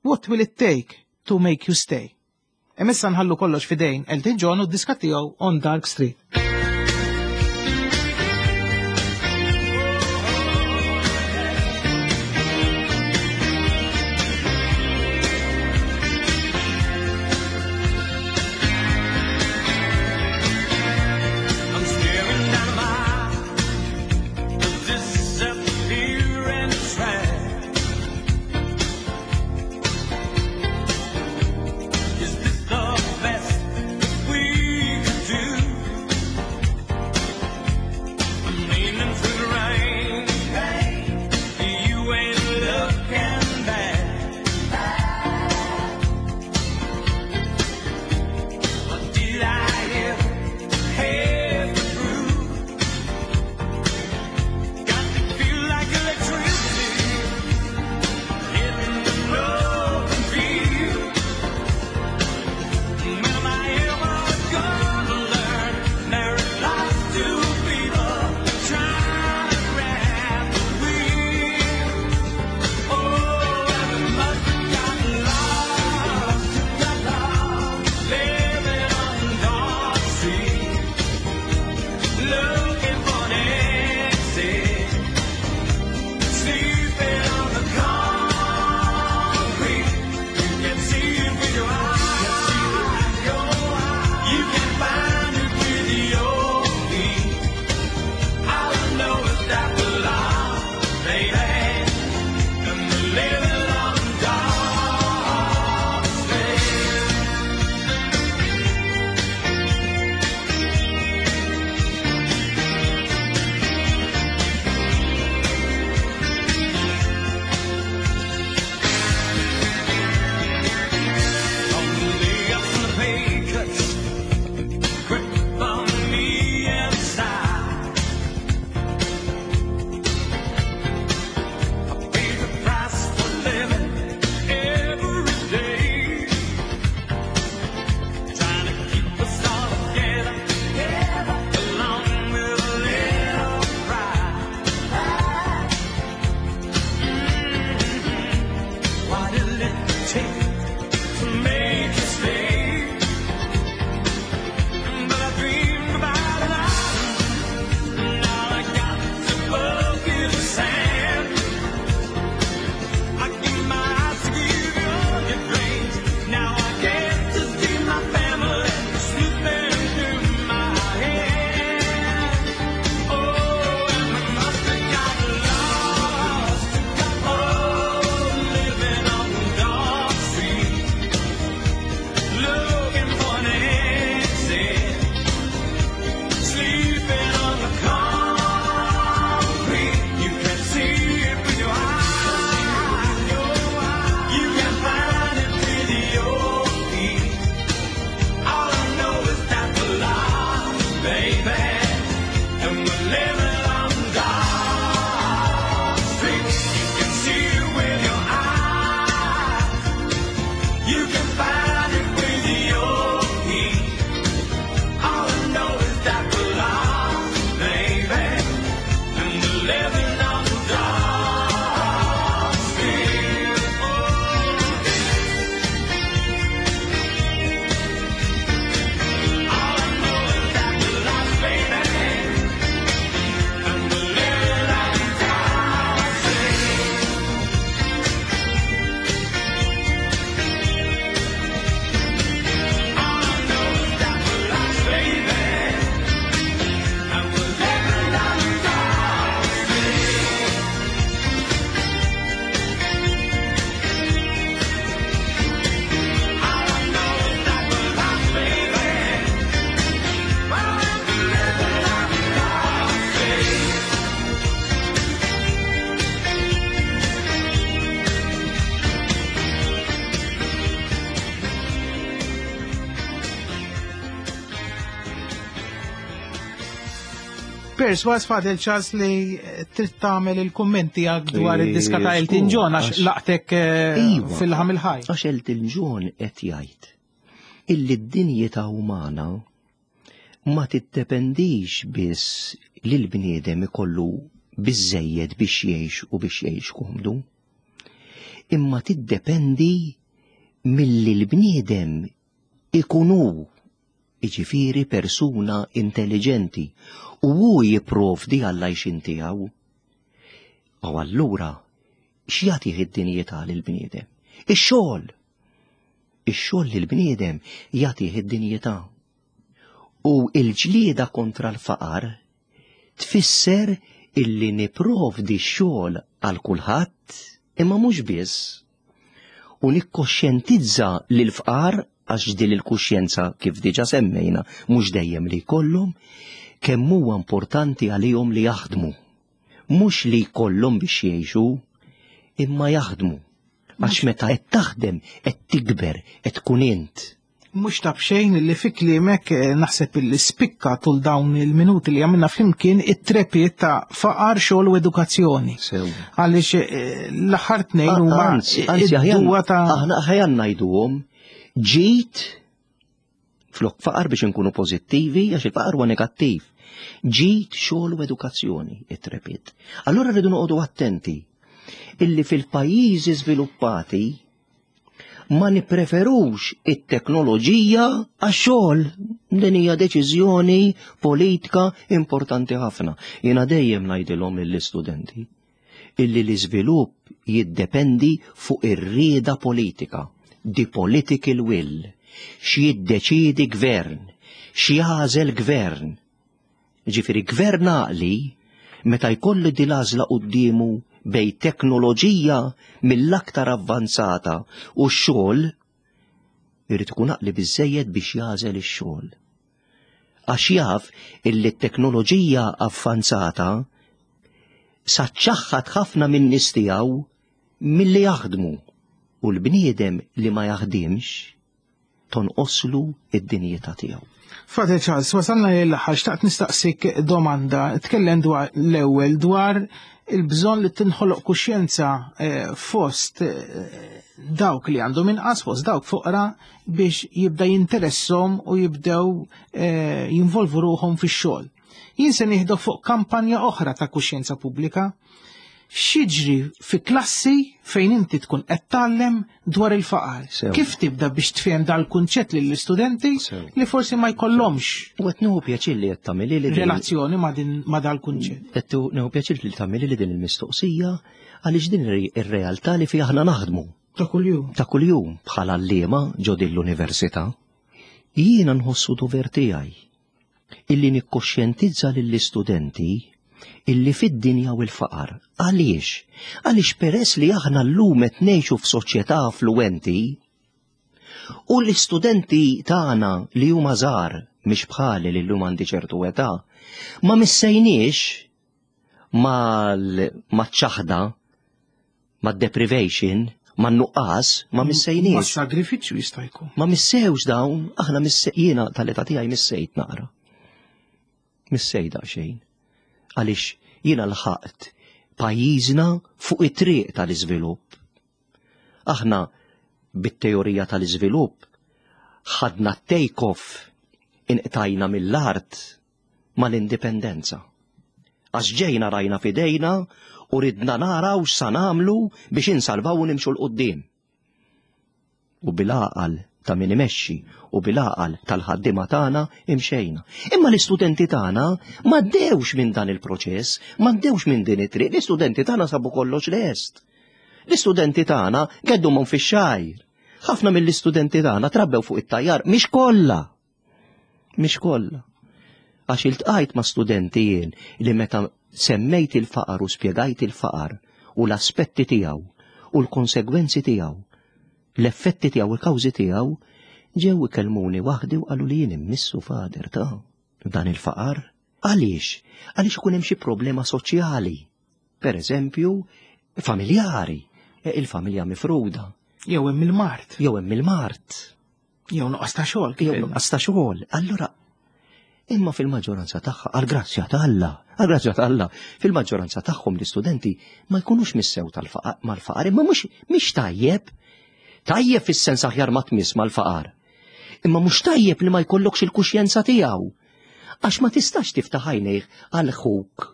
What will it take to make you stay? Emissa nħallu kollox fidejn Elton John u d-diska tiegħu On Dark Street. Is this the best we could do? baby, and we're living on God's street. You can see it with your eyes. You can find it with your key. All I know is that we're lost, baby, and we're living on God's street. All I know is that we're lost, baby, and we're living on God's street. All I know is that we're lost, baby, and we're living on God's street. All I know is that we're lost, baby, well, we're living on God's street. Perswas Fadel Charles li eh, trid tagħmel il-kummenti għak dwar Eh, id-diska ta' Elton skur, John għax għax- laqtek eh, Iva. fil-ħam il-ħaj. Għax Elton John qed jgħid illi d-dinjità umana ma tiddependix biss li l-bniedem ikollu biżejjed biex jgħix u biex jgħix komdu, imma tiddependi milli l-bniedem ikun hu, jiġifieri persuna intelligenti, u hu jipprovdi għall-għajxien tiegħu. U allura x'jagħtih id-dinjità lill-bniedem? Ix-xogħol. Ix-xogħol lill-bniedem jagħtih id-dinjità. U l-ġlieda kontra l-faqar tfisser illi niprovdi x-xogħol għal kulħadd imma mhux biss. U nikkoxjentizza lil fqar għax din il-kuxjenza kif diġà semmejna mhux dejjem li jkollhom kemm huwa importanti għalihom li jaħdmu. Mhux li jkollhom biex jgħixu, imma jaħdmu. Għax meta qed taħdem, qed tikber, qed tkun int. Mhux ta' bxejn li fi kliemek eh, naħseb illi spikka tul dawn il-minuti li għamilna flimkien it-trepiet ta' faqar, xogħol u edukazzjoni. Sew. Għaliex eh, l-aħħar tnejn huma Anzi, anzi, id-duwa ta' aħna aħjar ngħiduhom ġid flok faqar biex inkunu pożittivi għax il-faqar huwa negattiv. Ġid, xogħol u edukazzjoni, it-trepiet. Allura rridu noqogħdu attenti illi fil-pajjiżi żviluppati ma nippreferux it-teknoloġija għax-xogħol. Din hija deċiżjoni politika importanti ħafna. Jiena dejjem ngħidilhom lill-istudenti illi l-iżvilupp jiddependi fuq ir-rieda politika, the political will, x'jiddeċiedi gvern, x'jagħżel gvern. Ġifieri gvern għaqli meta jkollu din l-għażla quddiemu bej teknoloġija mill-aktar avvanzata u x-xogħol, irid ikun għaqli biżejjed biex jagħżel ix-xogħol. Għax jaf illi t-teknoloġija avvanzata saċċaħħat ħafna minn nies tiegħu milli jaħdmu u l-bniedem li ma jaħdimx tonqoslu id-dinjità tiegħu. Father Charles, wasalna l-aħħar, xtaqt nistaqsik domanda. Tkellem dwar l-ewwel dwar il-bżonn li tinħoloq kuxjenza, eh, fost, eh, dawk li għandhom inqas, fost dawk foqra biex jibda jinteressom u jibdew, eh, jinvolvu ruħhom fix-xogħol. Jien se nieħdu fuq kampanja oħra ta' kuxjenza pubblika. X'jiġri fi klassi fejn inti tkun qed tgħallem dwar il-faqar? Sew. Kif tibda biex tfhem dal-kunċett lill-istudenti Sew. li forsi ma jkollhomx U qed nieħu pjaċir li qed tagħmilli li din relazzjoni ma' din ma' dal-kunċett? Qed nieħu pjaċir li tagħmilli li din il-mistoqsija għaliex din ir-realtà li fiha aħna naħdmu. Ta' kuljum. Ta' kuljum bħala għalliema ġo din l-università. Jiena nħossu dover tiegħi illi nikkoxjentizza lill-istudenti illi fid-dinja u l-faqar. Għaliex? Għaliex peress li aħna llum qed ngħixu f'soċjetà affluenti u l-istudenti tagħna li huma żgħar mhix bħali li llum għandi ċertu età, ma missejniex mal-, maċ-ċaħda, mad-deprivation, man-nuqqas, ma missejniex. Ma sagrifiċċju jista' jkun. Ma missewx dawn, aħna misse-, jiena tal-età tiegħi missejt naqra. Missej daqsxejn. Għaliex jiena lħaqt pajjiżna fuq it-triq tal-iżvilupp. Aħna bit-teorija tal-iżvilupp ħadna take-off, inqtajna mill-art mal-indipendenza. Għax ġejna rajna fidejna u ridna naraw x'sa nagħmlu biex insalvaw u nimxu 'l quddiem. U bil-għaqal ta' min imexxi u bil-għaqal tal-ħaddiema tagħna imxejna. Imma l-istudenti tagħna m'għaddewx minn dan il-proċess, m'għaddewx minn din it-triq, l-istudenti tagħna sabu kollox lest. L-istudenti tagħna geddumhom fix-xgħir. Ħafna mill-istudenti tagħna trabbew fuq it-tajjar, mhix kollha. Mhix kollha. Għax iltqajt ma' studenti jien li meta semmejt il-faqar u spjegajt il-faqar u l-aspetti tiegħu u l-konsegwenzi tiegħu, l-effetti tiegħu u l-kawżi tiegħu, ġew ikellmuni waħdi u qalu li jien immissu fader ta' dan il-faqar. Għaliex? Għaliex ikun hemm xi problema soċjali. Per eżempju, familjari, il-familja mifruda. Jew hemm il-mard. Jew hemm il-mard. Jew nuqqas ta' xogħol. Jew nuqqas ta' xogħol. Allura, imma fil-maġġoranza tagħha, għall-grazzja ta' Alla, għall-grazzja ta' Alla, fil-maġġoranza tagħhom l-istudenti ma jkunux missew tal-faqar mal-faqar, imma mhux mhix tajjeb. Tajjeb fis-sens aħjar ma tmiss mal-faqar. Imma mhux tajjeb li ma jkollokx il-kuxjenza tiegħu. Għax ma tistax tiftaħ għajnejh għal ħuk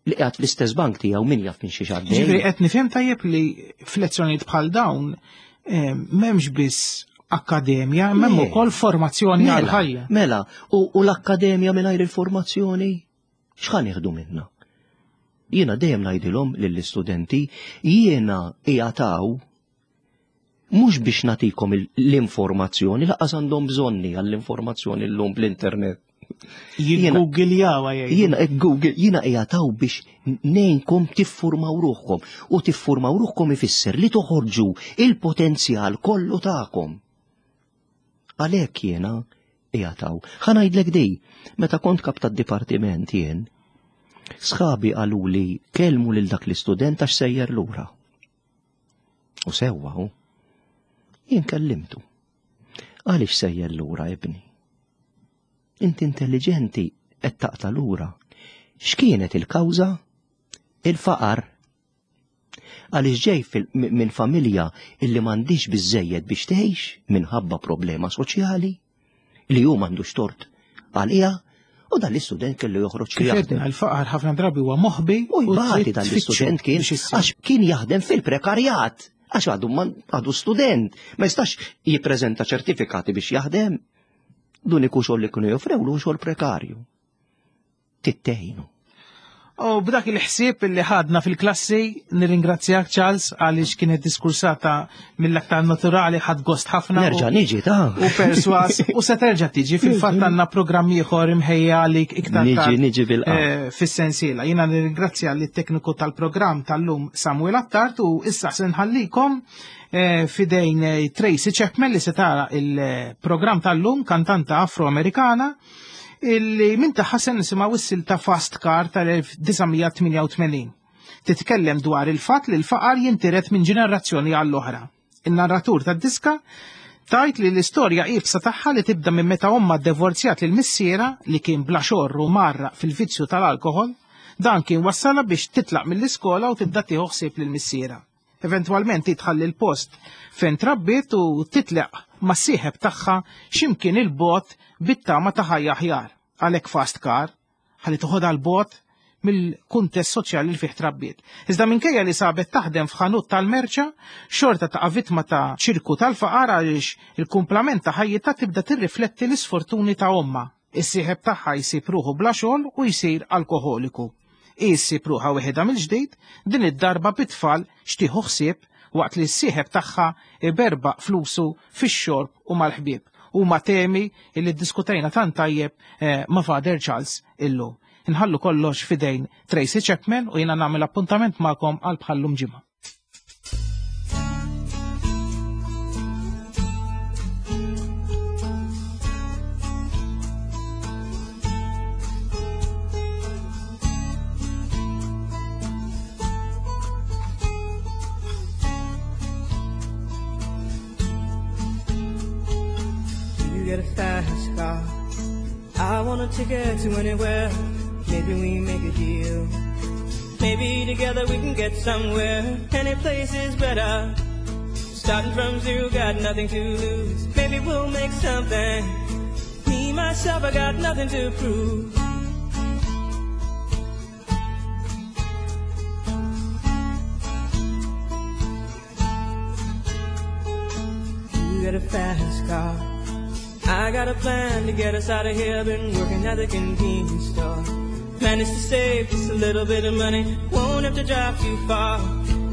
li qiegħed fl-istess bank tiegħu min jaf minn xi xaddej. Ġifieri qed nifhem tajjeb li f'lezzjonijiet bħal dawn eh, m'hemmx biss akkademja, m'hemm Le. ukoll formazzjoni Mela, għal ħajja. Mela, u, u l-akkademja mingħajr il-formazzjoni x'ħa nieħdu minnha? Jiena dejjem ngħidilhom lill-istudenti, jiena qiegħataw mhux biex nagħtikom il- l-informazzjoni, laqas għandhom bżonni għall-informazzjoni llum bl-internet. Jiggoogljawa jgħidu. Jiena eh, Google, jiena qiegħataw biex ngħinkom tiffurmaw ruħkom u tiffurmaw ruħkom ifisser li toħorġu il-potenzjal kollu tagħkom. Għalhekk jiena qiegħataw. Ħa ngħidlek di, meta kont kap tad-dipartiment jien, sħabi qaluli kellmu lil dak l-istudent għax sejjer lura. U sewwa hu. Jien kellimtu. Għaliex sejjer lura ibni? Inti intelligenti qed taqta' lura. X'kienet il-kawża? Il-faqar. Għaliex ġej fil-, mi-, minn familja illi m'għandix biżżejjed biex tgħix minħabba problema soċjali li hu m'għandux tort għaliha, u dan l-istudent kellu joħroġ Kif jaħdem. għedna, il-faqar ħafna drabi huwa moħbi U jbati trid dan tfittxu l-istudent kien biex issir. għax kien jaħdem fil-prekarjat, għax għadu man-, għadu student, ma jistax jippreżenta ċertifikati biex jaħdem. L-uniku xogħol li kienu joffrewlu xogħol prekarju. Tittejnu. U b'dak il-ħsieb li ħadna fil-klassi, nirringrazzjak Charles għaliex kienet diskursata mill-aktar naturali, ħad gost ħafna. Nerġa' niġi ta' U perswas, u se terġa' tiġi, fil-fatt għandna programm ieħor imħejja għalik iktar Niġi, tard, niġi bil-qab. eh, fis-sensiela. Jiena nirringrazzja lit-tekniku tal-programm tal-lum Samuel Attard u issa se nħallikom, eh, fidejn, eh, Tracy Chapman li se tara il-programm tal-lum, kantanta afroamerikana, illi minn tagħha se nisimgħu s-silta Fast Car tal-elf disa' mija tmienja u tmenin. Titkellem dwar il-fatt li l-faqar jintiret minn ġenerazzjoni għall-oħra. In-narratur tad-diska tajt li l-istorja iebsa tagħha li tibda minn meta omma ddivorzjat lil missiera li kien bla xorru marra fil-vizzju tal-alkohol, dan kien wassala biex titlaq mill-iskola u tibda tieħu ħsieb lil missiera. Eventwalment titħalli l-post fejn trabbiet u titlaq mas-sieħeb tagħha x'imkien il-bot bit-tama ta' ħajja aħjar. Għalhekk Fast Car, ħalli toħodha l-bot mill-kuntest soċjali li fih trabbiet. Iżda minkejja li sabet taħdem f'ħanut tal-merċa, xorta taqa' vittma ta' ċirku tal-faqar għaliex il-kumplament ta' ħajjitha tibda tirrifletti l-isfortuni ta' omma. Is-sieħeb tagħha jsib ruħu bla xogħol u jsir alkoholiku. Issib ruħha weħedha mill-ġdid, din id-darba bit-tfal xtieħu ħsieb waqt li s-sieħeb tagħha iberbaq flusu fix-xorb u mal-ħbieb. Huma temi li ddiskutejna tant tajjeb, eh, ma' Father Charles illum. Inħallu kollox fidejn Tracy Chapman u jiena nagħmel appuntament magħkom għal bħallum ġimgħa. You get a fast car. I wanna want a ticket to anywhere. Maybe we make a deal. Maybe together we can get somewhere. Any place is better. Starting from zero, got nothing to lose. Maybe we'll make something. Me, myself, I got nothing to prove. You got a fast car. I got a plan to get us out of here. Been working at the convenience store. Managed to save just a little bit of money. Won't have to drive too far.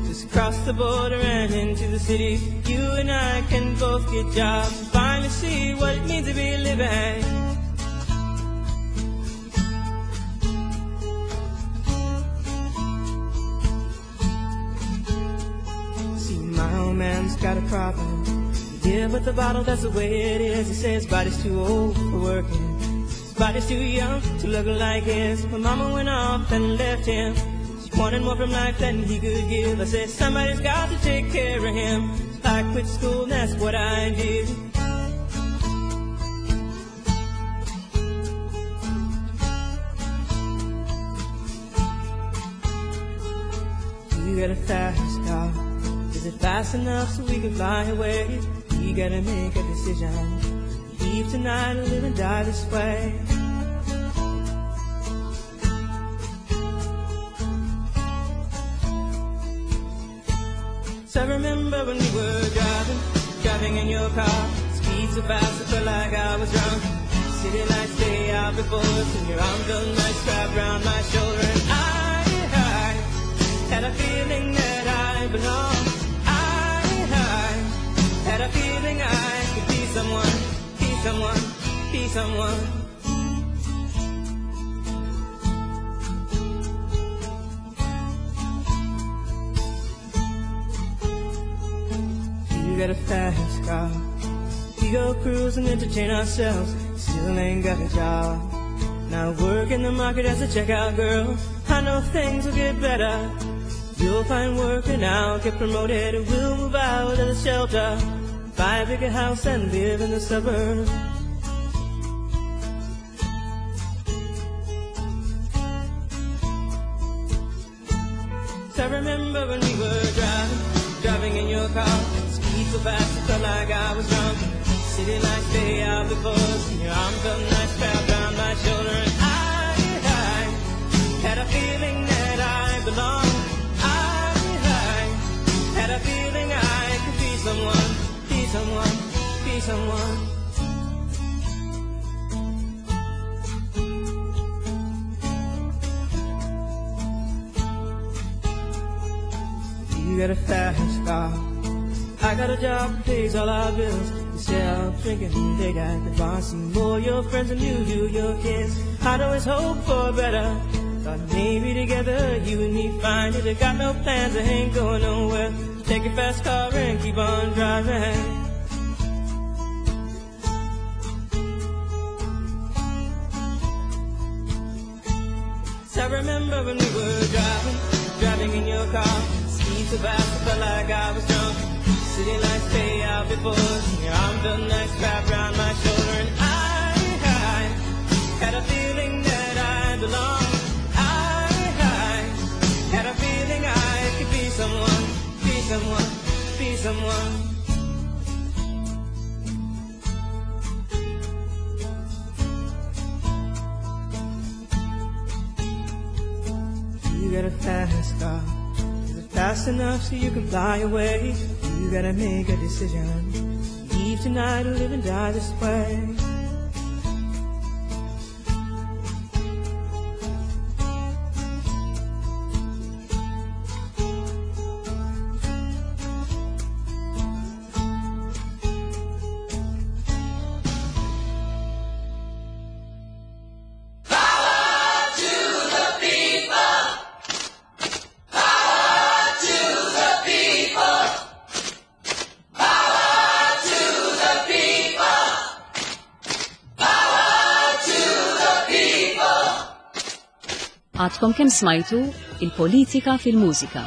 Just cross the border and into the city. You and I can both get jobs. Finally see what it means to be living. See, my old man's got a problem. Yeah, but the bottle, that's the way it is. He says his body's too old for working. His body's too young to look like his. My mama went off and left him. She wanted more from life than he could give. I said, somebody's got to take care of him. So I quit school and that's what I did. You got a fast car. Is it fast enough so we can fly away? We gotta make a decision. Leave tonight or live and die this way. So I remember when we were driving, driving in your car. Speed so fast, I felt like I was drunk. City lights day out before us, and your arm felt nice wrapped round my shoulder. And I, I had a feeling that I belonged. I, I had a feeling I could be someone, be someone, be someone. You got a fast car. We go cruise and entertain ourselves. Still ain't got a job. Now work in the market as a checkout girl. I know things will get better. You'll find work and I'll get promoted. And we'll move out of the shelter, buy a bigger house and live in the suburbs. So I remember when we were driving, driving in your car. Speed so fast, it felt like I was drunk. City lights day out before us, and your arm felt nice wrapped around my shoulder. And I, I had a feeling that I belonged. I, I had a feeling I could be someone, be someone, be someone. You got a fast car. I got a job that pays all our bills. You sell drinking, they got the bar. See more your friends than you do your kids. I'd always hope for better. Thought maybe together you and me find it. I got no plans, I ain't going nowhere. Take your fast car and keep on driving. So I remember when we were driving, driving in your car. Speed so fast, I felt like I was drunk. City lights day out before us, and your arm felt nice wrapped round my shoulder. And I, I had a feeling that I belonged. I, I had a feeling I could be someone, be someone, be someone. You got a fast car. Is it fast enough so you can fly away? You gotta make a decision. Leave tonight or live and die this way. Għadkom kemm smajtu il-politika fil-mużika.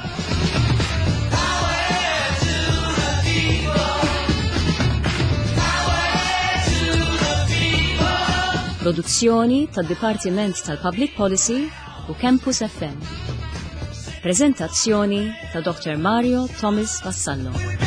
Produzzjoni tad-Dipartiment tal-Public Policy u Campus F M. Prezentazzjoni ta' Doctor Mario Thomas Vassallo.